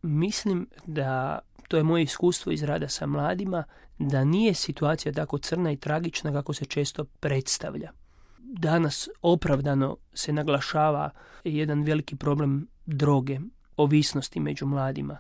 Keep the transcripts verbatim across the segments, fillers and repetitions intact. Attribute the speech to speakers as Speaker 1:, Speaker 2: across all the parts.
Speaker 1: mislim da, to je moje iskustvo iz rada sa mladima, da nije situacija tako crna i tragična kako se često predstavlja. Danas opravdano se naglašava jedan veliki problem droge, ovisnosti među mladima.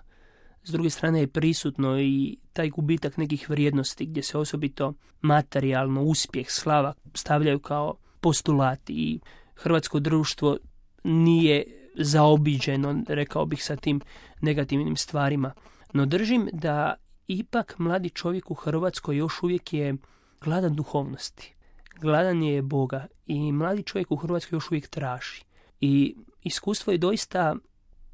Speaker 1: S druge strane je prisutno i taj gubitak nekih vrijednosti gdje se osobito materijalno, uspjeh, slava stavljaju kao postulati i hrvatsko društvo nije zaobiđeno, rekao bih, sa tim negativnim stvarima. No držim da ipak mladi čovjek u Hrvatskoj još uvijek je gladan duhovnosti. Gladan je Boga i mladi čovjek u Hrvatskoj još uvijek traži. I iskustvo je doista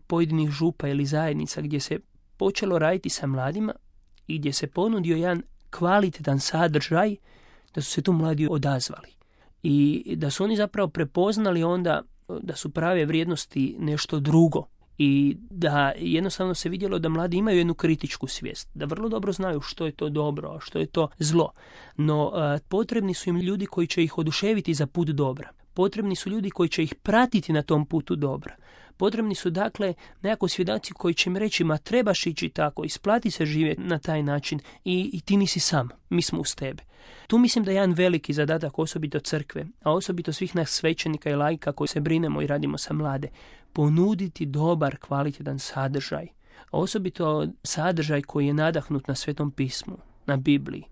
Speaker 1: pojedinih župa ili zajednica gdje se počelo raditi sa mladima i gdje se ponudio jedan kvalitetan sadržaj, da su se tu mladi odazvali. I da su oni zapravo prepoznali onda da su prave vrijednosti nešto drugo. I da jednostavno se vidjelo da mladi imaju jednu kritičku svijest, da vrlo dobro znaju što je to dobro, a što je to zlo. No a, potrebni su im ljudi koji će ih oduševiti za put dobra. Potrebni su ljudi koji će ih pratiti na tom putu dobra. Potrebni su dakle nekako svjedoci koji će im reći ma trebaš ići tako, isplati se živjeti na taj način i, i ti nisi sam, mi smo uz tebe. Tu mislim da je jedan veliki zadatak osobito crkve, a osobito svih nas svećenika i laika koji se brinemo i radimo sa mlade, ponuditi dobar, kvalitetan sadržaj. Osobito sadržaj koji je nadahnut na Svetom pismu, na Bibliji,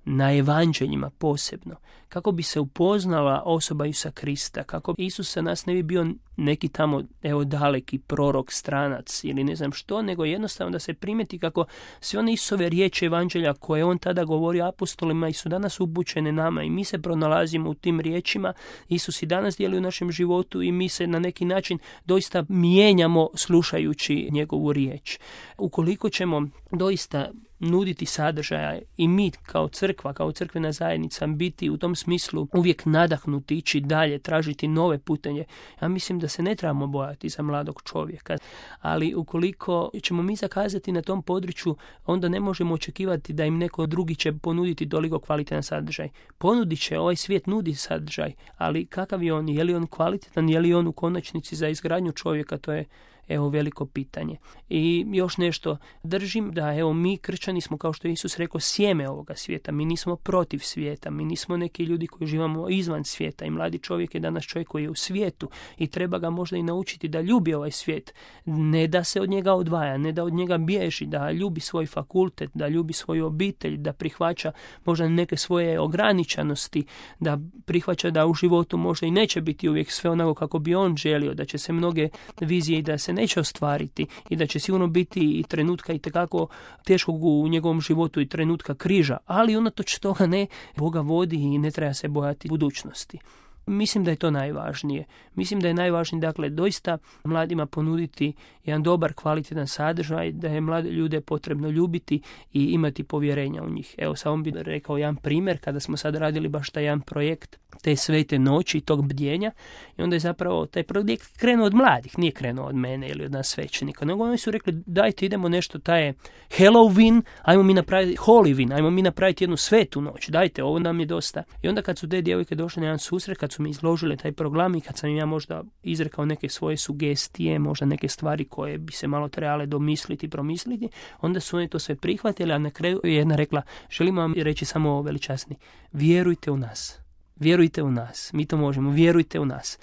Speaker 1: na evanđeljima posebno, kako bi se upoznala osoba Isusa Krista, kako Isus za nas ne bi bio neki tamo, evo, daleki prorok, stranac ili ne znam što, nego jednostavno da se primeti kako sve one Isusove riječi evanđelja koje on tada govori apostolima i su danas upućene nama i mi se pronalazimo u tim riječima. Isus i danas djeluje u našem životu i mi se na neki način doista mijenjamo slušajući njegovu riječ. Ukoliko ćemo doista nuditi sadržaja i mi kao crkva, kao crkvena zajednica biti u tom smislu uvijek nadahnuti, ići dalje, tražiti nove putenje, ja mislim da se ne trebamo bojati za mladog čovjeka. Ali ukoliko ćemo mi zakazati na tom području, onda ne možemo očekivati da im neko drugi će ponuditi toliko kvalitetan sadržaj. Ponudit će, ovaj svijet nudi sadržaj, ali kakav je on? Je li on kvalitetan? Je li on u konačnici za izgradnju čovjeka? To je evo veliko pitanje. I još nešto, držim da evo mi kršćani smo, kao što je Isus rekao, sjeme ovoga svijeta. Mi nismo protiv svijeta, mi nismo neki ljudi koji živamo izvan svijeta i mladi čovjek je danas čovjek koji je u svijetu i treba ga možda i naučiti da ljubi ovaj svijet. Ne da se od njega odvaja, ne da od njega bježi, da ljubi svoj fakultet, da ljubi svoju obitelj, da prihvaća možda neke svoje ograničenosti, da prihvaća da u životu možda i neće biti uvijek sve onako kako bi on želio, da će se mnoge vizije i da se neće ostvariti i da će sigurno biti i trenutka i tekako teškog u njegovom životu i trenutka križa, ali unatoč toga ne, Boga vodi i ne treba se bojati budućnosti. Mislim da je to najvažnije. Mislim da je najvažnije, dakle, doista mladima ponuditi jedan dobar, kvalitetan sadržaj, da je mlade ljude potrebno ljubiti i imati povjerenja u njih. Evo, samo bih rekao jedan primjer, kada smo sad radili baš taj jedan projekt te svete noći, tog bdjenja, i onda je zapravo taj projekt krenuo od mladih, nije krenuo od mene ili od nas svećenika, nego oni su rekli, dajte idemo nešto, taj je Halloween, ajmo mi napraviti Hollyween, ajmo mi napraviti jednu svetu noć, dajte, ovo nam je dosta. I onda kad su te djevojke došle na jedan susret, kad su mi izložile taj program i kad sam im ja možda izrekao neke svoje sugestije, možda neke stvari koje bi se malo trebale domisliti, promisliti, onda su oni to sve prihvatili, a na kraju je jedna rekla, želim vam reći samo ovo, veličasni, vjerujte u nas, vjerujte u nas, mi to možemo, vjerujte u nas.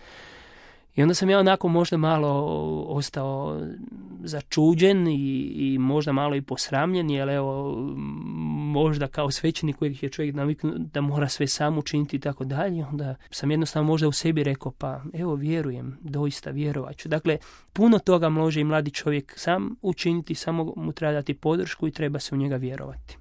Speaker 1: I onda sam ja onako možda malo ostao začuđen i, i možda malo i posramljen, jer evo, možda kao svećenik kojeg je čovjek naviknut da mora sve sam učiniti i tako dalje, onda sam jednostavno možda u sebi rekao, pa evo vjerujem, doista vjerovat ću. Dakle, puno toga može i mladi čovjek sam učiniti, samo mu treba dati podršku i treba se u njega vjerovati.